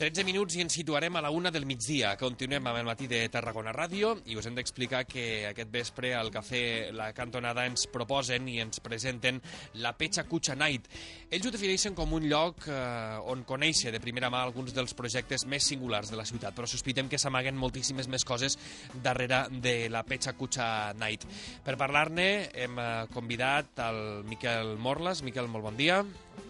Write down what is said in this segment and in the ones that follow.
13 minuts i ens situarem a la 1 del migdia. Continuem amb el matí de Tarragona Ràdio i us hem d'explicar que aquest vespre al Cafè La Cantonada ens proposen i ens presenten la Pecha Kucha Night. Ells ho defineixen com un lloc on conèixer de primera mà alguns dels projectes més singulars de la ciutat, però sospitem que s'amaguen moltíssimes més coses darrere de la Pecha Kucha Night. Per parlar-ne hem convidat el Miquel Morlas. Miquel, molt bon dia.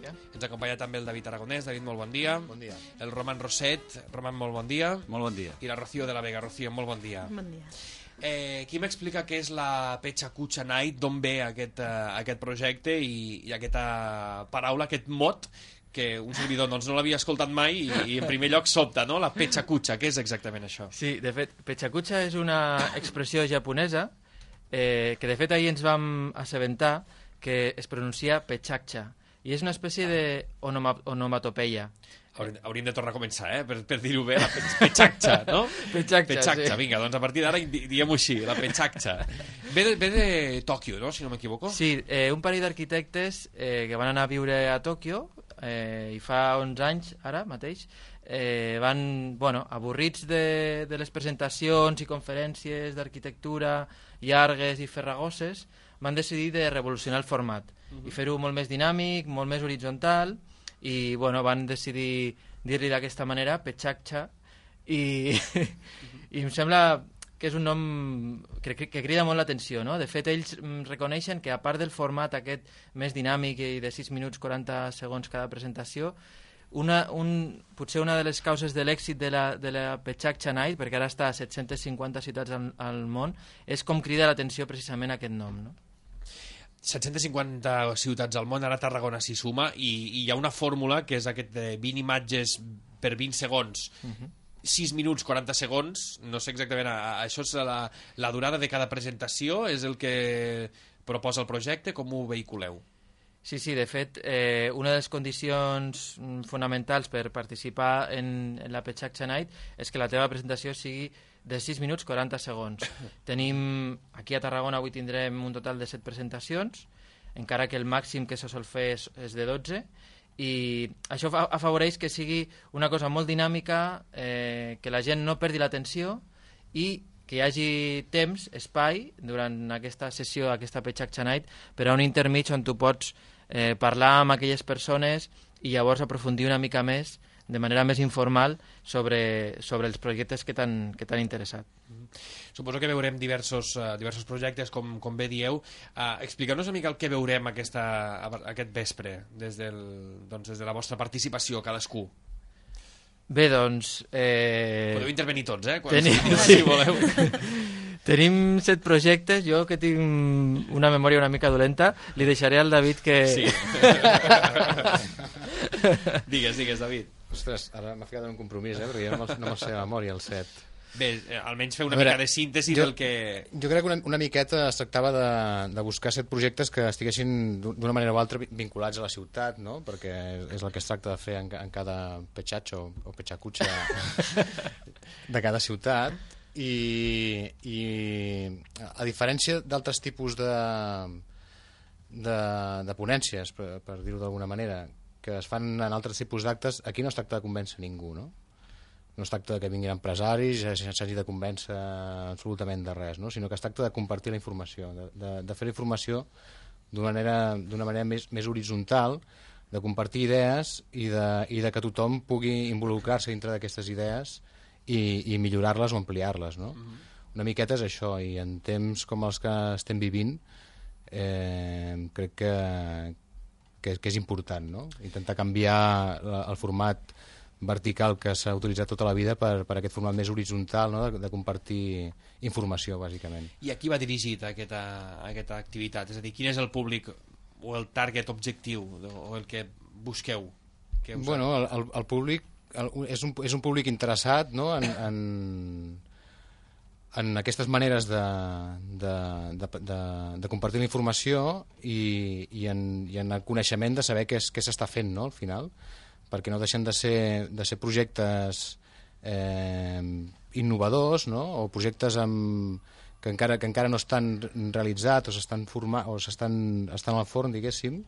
Ens acompanya també el David Aragonès. David, molt bon dia. Bon dia. El Roman Roset. Roman, molt bon dia. Molt bon dia. I la Rocío de la Vega. Rocío, molt bon dia. Bon dia. Qui m'explica què és la Pecha Kucha Night, d'on ve aquest projecte i aquesta paraula, aquest mot, que un servidor no l'havia escoltat mai i en primer lloc sobta, no? La Pecha Kucha, què és exactament això? Sí, de fet, Pecha Kucha és una expressió japonesa que de fet ahir ens vam assabentar que es pronuncia Pechakcha i és una espècie d'onomatopeia. Hauríem de tornar a començar, per dir-ho bé, la Pechakcha, no? Pechakcha, sí. Vinga, doncs a partir d'ara diguem-ho així, la Pechakcha. Ve de Tòquio, no?, si no m'equivoco? Sí, un parell d'arquitectes que van anar a viure a Tòquio i fa 11 anys, ara mateix, van, avorrits de les presentacions i conferències d'arquitectura llargues i farragoses, van decidir de revolucionar el format i fer-ho molt més dinàmic, molt més horitzontal i van decidir dir-li d'aquesta manera, Pechakcha, i em sembla que és un nom que crida molt l'atenció, no? De fet, ells reconeixen que a part del format aquest més dinàmic i de 6 minuts 40 segons cada presentació, potser una de les causes de l'èxit de la Pechakcha Night, perquè ara està a 750 ciutats al món, és com crida l'atenció precisament aquest nom, no? 750 ciutats al món, ara Tarragona s'hi suma, i hi ha una fórmula que és aquest de 20 imatges per 20 segons, 6 minuts 40 segons, no sé exactament, això és la durada de cada presentació, és el que proposa el projecte, com ho vehiculeu? Sí, de fet, una de les condicions fonamentals per participar en la Pechakcha Night és que la teva presentació sigui de 6 minuts 40 segons. Tenim, aquí a Tarragona avui tindrem un total de 7 presentacions, encara que el màxim que se sol fer és de 12, i això afavoreix que sigui una cosa molt dinàmica, que la gent no perdi l'atenció i que hi hagi temps, espai, durant aquesta sessió, aquesta Pechakcha Night, per a un intermig on tu pots parlar amb aquelles persones i llavors aprofundir una mica més de manera més informal sobre els projectes que t'han interessat. Suposo que veurem diversos projectes, com bé dieu. Expliqueu-nos una mica el que veurem aquest vespre, des de la vostra participació, cadascú. Bé, doncs... Podeu intervenir tots, si voleu. Tenim 7 projectes, jo que tinc una memòria una mica dolenta, li deixaré al David que... Sí. Digues, David. Ostres, ara m'ha ficat en un compromís, perquè jo no me'l sé de memòria, el 7. Bé, almenys fer una mica de síntesi del que... Jo crec que una miqueta es tractava de buscar 7 projectes que estiguessin d'una manera o altra vinculats a la ciutat, no? Perquè és el que es tracta de fer en cada pechacho o pechacucha de cada ciutat. I a diferència d'altres tipus de ponències, per dir-ho d'alguna manera, que es fan en altres tipus d'actes, aquí no es tracta de convèncer ningú, no? No es tracta que vinguin empresaris i s'hagi de convèncer absolutament de res, no? Sinó que es tracta de compartir la informació, de fer la informació d'una manera més horitzontal, de compartir idees i de que tothom pugui involucrar-se dintre d'aquestes idees i millorar-les o ampliar-les, no? Una miqueta és això, i en temps com els que estem vivint crec que és important, no? Intentar canviar el format vertical que s'ha utilitzat tota la vida per aquest format més horitzontal, no? De compartir informació, bàsicament. I a qui va dirigit aquesta activitat? És a dir, quin és el públic o el target objectiu o el que busqueu? Bueno, el públic és un públic interessat, no? en aquestes maneres de compartir la informació i en el coneixement de saber què s'està fent, no? Al final, perquè no deixen de ser projectes innovadors, no? O projectes que encara no estan realitzats o estan al forn, diguéssim,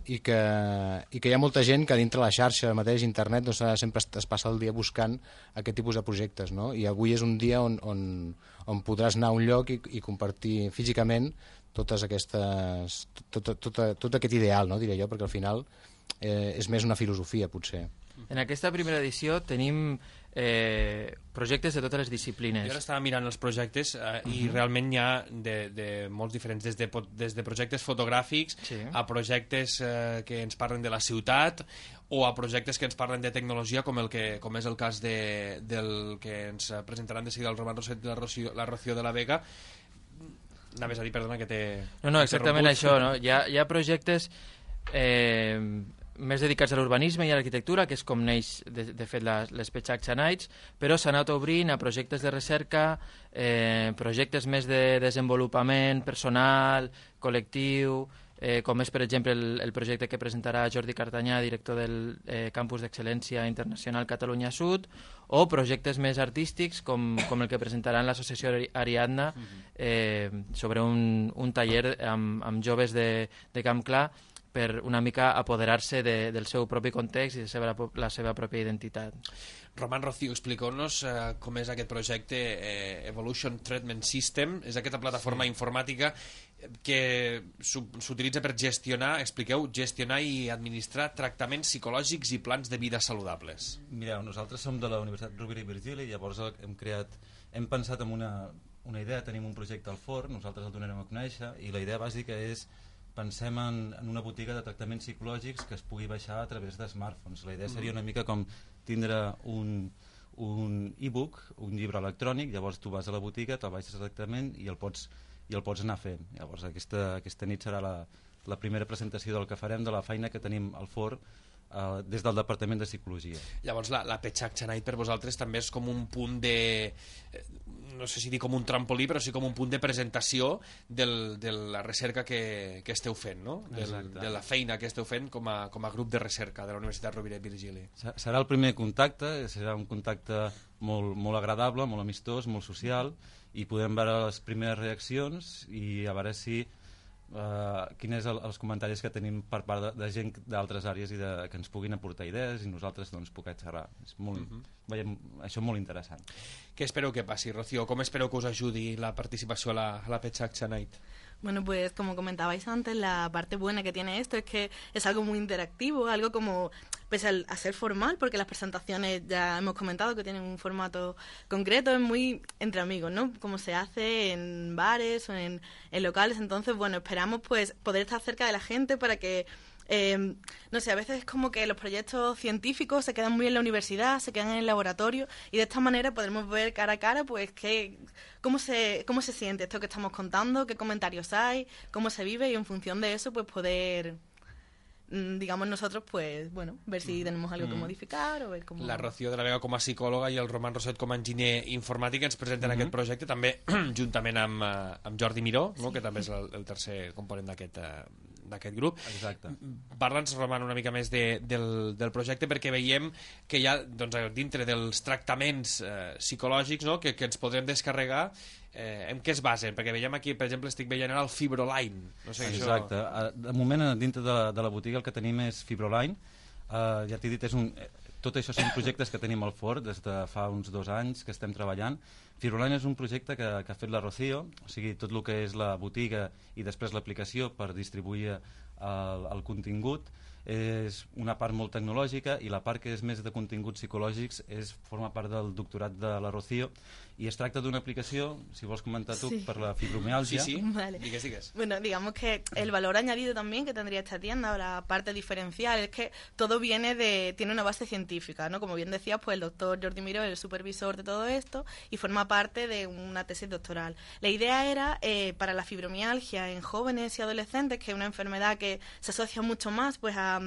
i que hi ha molta gent que dintre la xarxa mateix, internet, doncs, sempre es passa el dia buscant aquest tipus de projectes, no? I avui és un dia on podràs anar a un lloc i compartir físicament totes aquestes, tot aquest ideal, no? Diré jo, perquè al final és més una filosofia, potser. En aquesta primera edició tenim projectes de totes les disciplines. Jo ara estava mirant els projectes i realment hi ha de molts diferents, des de projectes fotogràfics a projectes que ens parlen de la ciutat o a projectes que ens parlen de tecnologia, com és el cas del que ens presentaran de seguida el Roman Roset i la Rocío de la Vega. Anaves a dir, perdona, que té... No, exactament això, no? Hi ha projectes més dedicats a l'urbanisme i a l'arquitectura, que és com neix, de fet, les Petxakxa Nights, però s'ha anat obrint a projectes de recerca, projectes més de desenvolupament personal, col·lectiu, com és, per exemple, el projecte que presentarà Jordi Cartanyà, director del Campus d'Excel·lència Internacional Catalunya Sud, o projectes més artístics, com el que presentaran l'associació Ariadna sobre un taller amb joves de Camp Clar, per una mica apoderar-se del seu propi context i de la seva pròpia identitat. Roman, Rocío, expliqueu-nos com és aquest projecte Evolution Treatment System. És aquesta plataforma informàtica que s'utilitza per gestionar i administrar tractaments psicològics i plans de vida saludables. Mireu, nosaltres som de la Universitat Rovira i Virgili i llavors hem pensat en una idea, tenim un projecte al forn, nosaltres el donarem a conèixer i la idea bàsica és pensem en una botiga de tractaments psicològics que es pugui baixar a través de smartphones. La idea seria una mica com tindre un e-book, un llibre electrònic, llavors tu vas a la botiga, te'l baixes directament i el pots anar fent. Llavors aquesta nit serà la primera presentació del que farem, de la feina que tenim al forn des del Departament de Psicologia. Llavors la Petxakxa Night per vosaltres també és com un punt de... no sé si dir com un trampolí, però sí com un punt de presentació de la recerca que esteu fent, no? De la feina que esteu fent com a grup de recerca de la Universitat Rovira i Virgili. Serà el primer contacte, serà un contacte molt agradable, molt amistós, molt social, i podem veure les primeres reaccions i a veure si quins són els comentaris que tenim per part de gent d'altres àrees i que ens puguin aportar idees i nosaltres poder xerrar. Veiem això molt interessant. Què espereu que passi, Rocío? Com espereu que us ajudi la participació a la Petxakxa Night? Bueno, pues como comentabais antes, la parte buena que tiene esto es que es algo muy interactivo, algo como, pese a ser formal, porque las presentaciones ya hemos comentado que tienen un formato concreto, es muy entre amigos, ¿no? Como se hace en bares o en locales. Entonces, bueno, esperamos pues poder estar cerca de la gente para que no sé, a veces es como que los proyectos científicos se quedan muy en la universidad, se quedan en el laboratorio y de esta manera podremos ver cara a cara pues cómo se siente esto que estamos contando, qué comentarios hay, cómo se vive y en función de eso pues poder, digamos nosotros pues bueno, ver si tenemos algo que modificar o ver cómo... La Rocío de la Vega com a psicòloga i el Roman Roset com a enginyer informàtic ens presenten aquest projecte també juntament amb Jordi Miró, no? Que també és el tercer component d'aquest grup. Exacte. Parla'ns, Roman, una mica més del projecte, perquè veiem que hi ha doncs, dintre dels tractaments psicològics, no? que ens podrem descarregar, en què es basen? Perquè veiem aquí, per exemple, estic veient ara el Fibroline. No sé, exacte. Això... De moment, dintre de la botiga el que tenim és Fibroline. Ja t'he dit, tot això són projectes que tenim al forn des de fa uns 2 anys que estem treballant. Fibroline és un projecte que ha fet la Rocío, o sigui, tot el que és la botiga i després l'aplicació per distribuir el contingut és una part molt tecnològica i la part que és més de continguts psicològics forma part del doctorat de la Rocío y es tracta d'una aplicació, si vols comentar tu, per la fibromialgia. Sí, vale. Digues. Bueno, digamos que el valor añadido también que tendría esta tienda, o la parte diferencial, es que todo tiene una base científica, ¿no? Como bien decías, pues el doctor Jordi Miró es el supervisor de todo esto y forma parte de una tesis doctoral. La idea era, para la fibromialgia en jóvenes y adolescentes, que es una enfermedad que se asocia mucho más pues a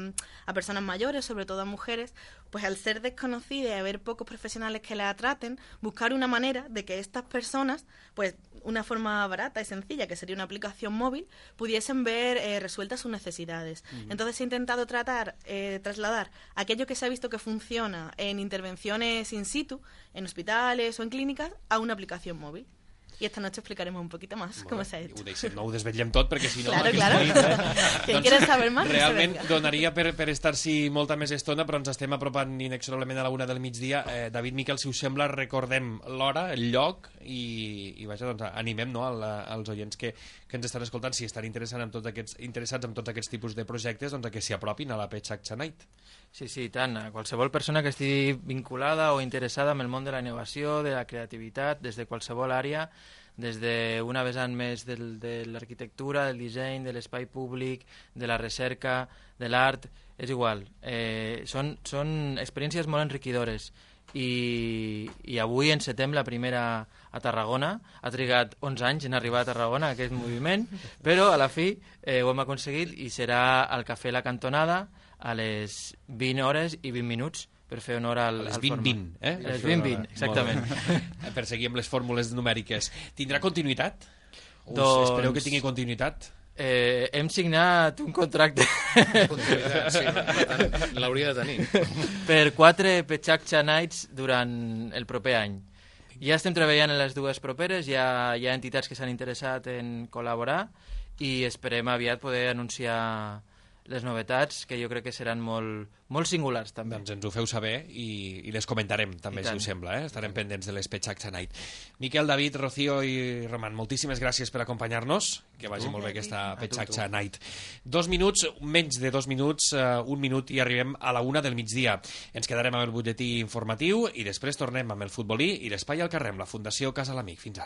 personas mayores, sobre todo a mujeres, pues al ser desconocida y haber pocos profesionales que la traten, buscar una manera de que estas personas, pues una forma barata y sencilla, que sería una aplicación móvil, pudiesen ver resueltas sus necesidades. Entonces he intentado trasladar aquello que se ha visto que funciona en intervenciones in situ, en hospitales o en clínicas, a una aplicación móvil. y esta noche explicaremos un poquito más cómo se ha hecho. No ho desvetllem tot, perquè si no... Claro. Quien quiera saber más, realment donaria per estar-s'hi molta més estona, però ens estem apropant inexorablement a la 1 del migdia. David, Miquel, si us sembla, recordem l'hora, el lloc, i vaja, doncs, animem als oients que ens estan escoltant, si estan interessats en tots aquests tipus de projectes, doncs, que s'hi apropin a la Petxakxa Night. Sí, tant. Qualsevol persona que estigui vinculada o interessada en el món de la innovació, de la creativitat, des de qualsevol àrea, des d'una vessant més de l'arquitectura, del disseny, de l'espai públic, de la recerca, de l'art, és igual. Són experiències molt enriquidores. I avui encetem la primera a Tarragona. Ha trigat 11 anys en arribar a Tarragona, aquest moviment, però a la fi ho hem aconseguit i serà al Cafè La Cantonada a les 20 hores i 20 minuts per fer honor al les 20-20, eh? Les 20-20, exactament. Per seguir amb les fórmules numèriques. Tindrà continuïtat? Doncs... Espereu que tingui continuïtat? Hem signat un contracte sí, l'hauria de tenir per 4 Petxakxa Nights durant el proper any. Ja estem treballant en les dues properes, hi ha entitats que s'han interessat en col·laborar i esperem aviat poder anunciar les novetats, que jo crec que seran molt singulars també. Doncs ens ho feu saber i les comentarem també, si us sembla. Estarem pendents de les Petxakxa Night. Miquel, David, Rocío i Roman, moltíssimes gràcies per acompanyar-nos. Que vagi molt bé aquesta Petxakxa Night. 2 minuts, menys de 2 minuts, 1 minut i arribem a la 1 del migdia. Ens quedarem amb el butlletí informatiu i després tornem amb el futbolí i l'espai al carrer amb la Fundació Casa l'Amic. Fins ara.